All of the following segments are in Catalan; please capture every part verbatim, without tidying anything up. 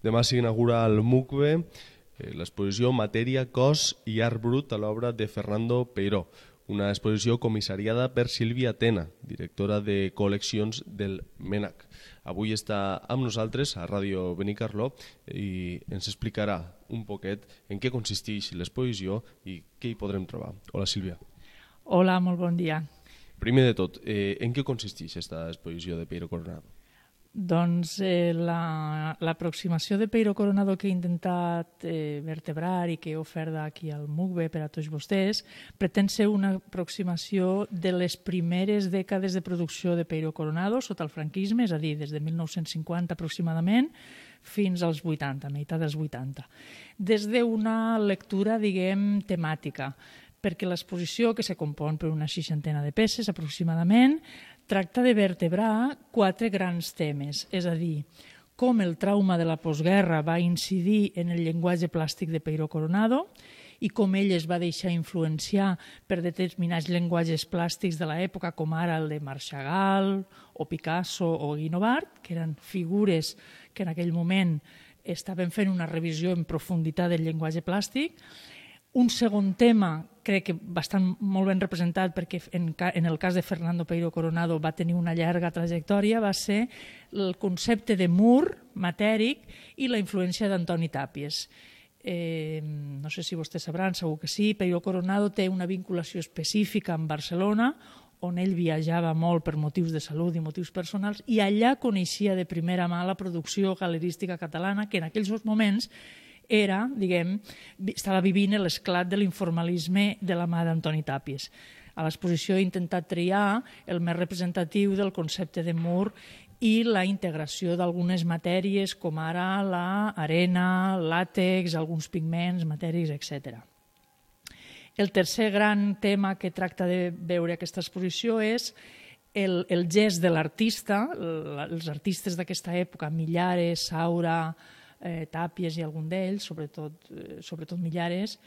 Demà s'inaugura el M U C B E, l'exposició Matèria, Cos i Art Brut a l'obra de Fernando Peiró, una exposició comissariada per Sílvia Tena, directora de col·leccions del MENAC. Avui està amb nosaltres a Ràdio Benicarló i ens explicarà un poquet en què consisteix l'exposició i què hi podrem trobar. Hola, Sílvia. Hola, molt bon dia. Primer de tot, eh, en què consisteix aquesta exposició de Peiró Coronado? Doncs eh, l'aproximació la, de Peiró Coronado que he intentat eh, vertebrar i que he ofert aquí al M U C B E per a tots vostès pretén ser una aproximació de les primeres dècades de producció de Peiró Coronado sota el franquisme, és a dir, des de mil nou-cents cinquanta aproximadament fins als vuitanta, a meitat dels vuitanta. Des d'una lectura, diguem, temàtica, perquè l'exposició, que se compon per una seixantena de peces aproximadament, tracta de vertebrar quatre grans temes, és a dir, com el trauma de la postguerra va incidir en el llenguatge plàstic de Peiró Coronado i com ell es va deixar influenciar per determinats llenguatges plàstics de l'època, com ara el de Marc Chagall o Picasso o Guinovart, que eren figures que en aquell moment estaven fent una revisió en profunditat del llenguatge plàstic. Un segon tema, crec que bastant molt ben representat, perquè en, en el cas de Fernando Peiró Coronado va tenir una llarga trajectòria, va ser el concepte de mur matèric i la influència d'Antoni Tàpies. Eh, no sé si vostès sabran, segur que sí, Peiró Coronado té una vinculació específica amb Barcelona, on ell viatjava molt per motius de salut i motius personals, i allà coneixia de primera mà la producció galerística catalana, que en aquells moments era, diguem, estava vivint l'esclat de l'informalisme de la mà d'Antoni Tàpies. A l'exposició he intentat triar el més representatiu del concepte de mur i la integració d'algunes matèries com ara l'arena, làtex, alguns pigments, matèries, etcètera. El tercer gran tema que tracta de veure aquesta exposició és el, el gest de l'artista, els artistes d'aquesta època, Millares, Saura, Eh, Tàpies i algun d'ells, sobretot, eh, sobretot Millares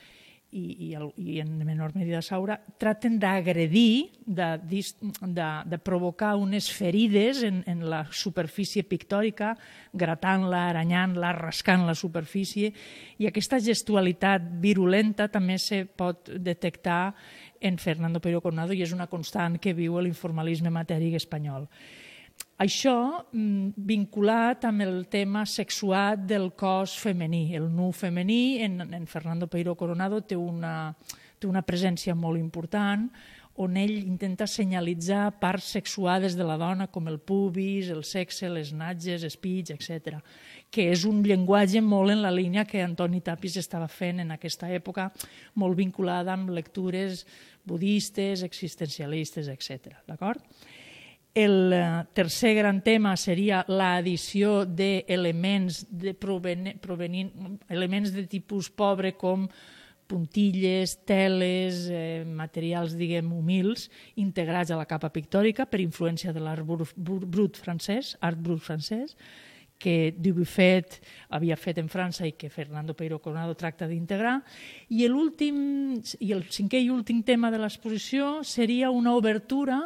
i, i, el, i en menor medida Saura, traten d'agredir, de, de, de provocar unes ferides en, en la superfície pictòrica, gratant-la, aranyant-la, rascant la superfície, i aquesta gestualitat virulenta també se pot detectar en Fernando Peiró Coronado i és una constant que viu l'informalisme matèric espanyol. Això vinculat amb el tema sexuat del cos femení. El nu femení en, en Fernando Peiró Coronado té una, té una presència molt important on ell intenta senyalitzar parts sexuades de la dona com el pubis, el sexe, les natges, espits, etcètera, que és un llenguatge molt en la línia que Antoni Tàpies estava fent en aquesta època, molt vinculada amb lectures budistes, existencialistes, etcètera. D'acord? El tercer gran tema seria l'addició d'elements de provenint, elements de tipus pobre com puntilles, teles, eh, materials, diguem, humils, integrats a la capa pictòrica per influència de l'art brut francès, art brut francès, que Dubuffet havia fet en França i que Fernando Peiró Coronado tracta d'integrar. I l'últim, i el cinquè i últim tema de l'exposició seria una obertura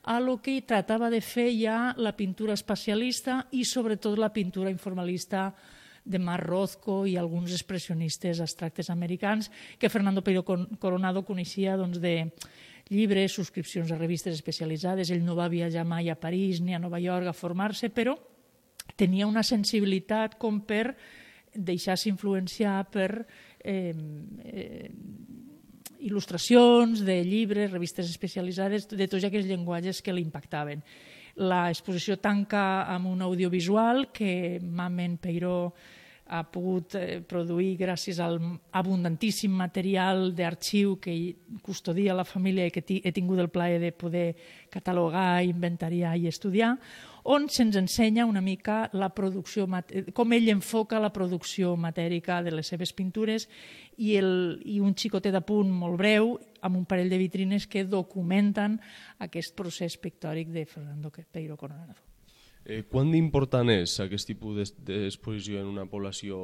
a lo que tratava de fer ja la pintura espacialista i sobretot la pintura informalista de Marc Rothko i alguns expressionistes abstractes americans que Fernando Peiró Coronado coneixia doncs, de llibres, subscripcions a revistes especialitzades. Ell no va viatjar mai a París ni a Nova York a formar-se, però tenia una sensibilitat com per deixar-se influenciar per eh, eh, il·lustracions de llibres, revistes especialitzades, de tots aquells llenguatges que l'impactaven. L'exposició tanca amb un audiovisual que Mamen Peiró ha pogut produir gràcies al abundantíssim material d'arxiu que custodia la família i que he tingut el plaer de poder catalogar, inventariar i estudiar, on se'ns ensenya una mica la producció, com ell enfoca la producció matèrica de les seves pintures i, el, i un xicotet d'apunt molt breu amb un parell de vitrines que documenten aquest procés pictòric de Fernando Peiró Coronado. Eh, quant d'important és aquest tipus d'exposició en una població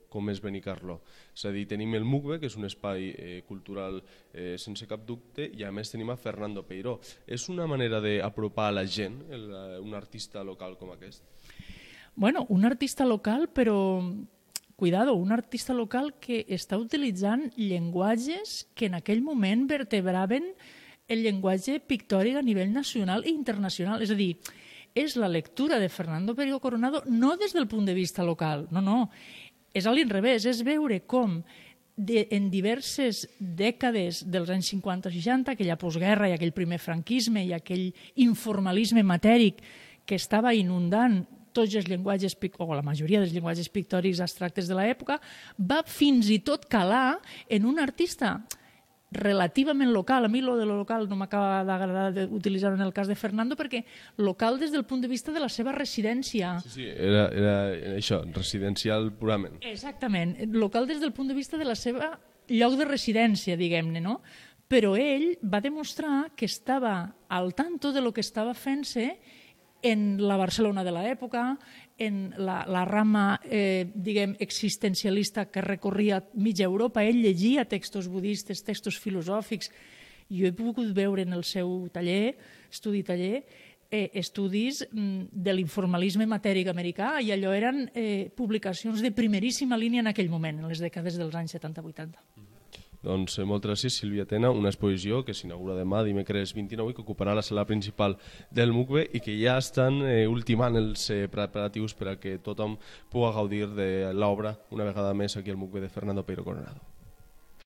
com és Benicarló? És a dir, tenim el M U C B E, que és un espai eh, cultural eh, sense cap dubte, i a més tenim a Fernando Peiró. És una manera d'apropar a la gent el, un artista local com aquest? Bueno, un artista local, però cuidado, un artista local que està utilitzant llenguatges que en aquell moment vertebraven el llenguatge pictòric a nivell nacional i internacional. És a dir, és la lectura de Fernando Peiro Coronado no des del punt de vista local, no, no, és a l'inrevés, és veure com de, en diverses dècades dels anys cinquanta o seixanta, aquella postguerra i aquell primer franquisme i aquell informalisme matèric que estava inundant tots els llenguatges, o la majoria dels llenguatges pictòrics abstractes de l'època, va fins i tot calar en un artista relativament local. A mi lo de lo local no m'acaba d'agradar utilitzar-ho en el cas de Fernando, perquè local des del punt de vista de la seva residència. Sí, sí, era, era això, residencial purament. Exactament, local des del punt de vista de la seva lloc de residència, diguem-ne, no? Però ell va demostrar que estava al tanto de lo que estava fent-se en la Barcelona de l'època, en la, la rama eh, diguem, existencialista que recorria mitja Europa. Ell llegia textos budistes, textos filosòfics. Jo he pogut veure en el seu taller, estudi taller, eh, estudis mm, de l'informalisme matèric americà, i allò eren eh, publicacions de primeríssima línia en aquell moment, en les dècades dels anys setanta vuitanta. Doncs eh, moltes gràcies, Sílvia Tena, una exposició que s'inaugura demà, dimecres vint-i-nou, i que ocuparà la sala principal del MUCBE i que ja estan eh, ultimant els eh, preparatius per a que tothom pugui gaudir de l'obra una vegada més aquí al MUCBE de Fernando Peiro Coronado.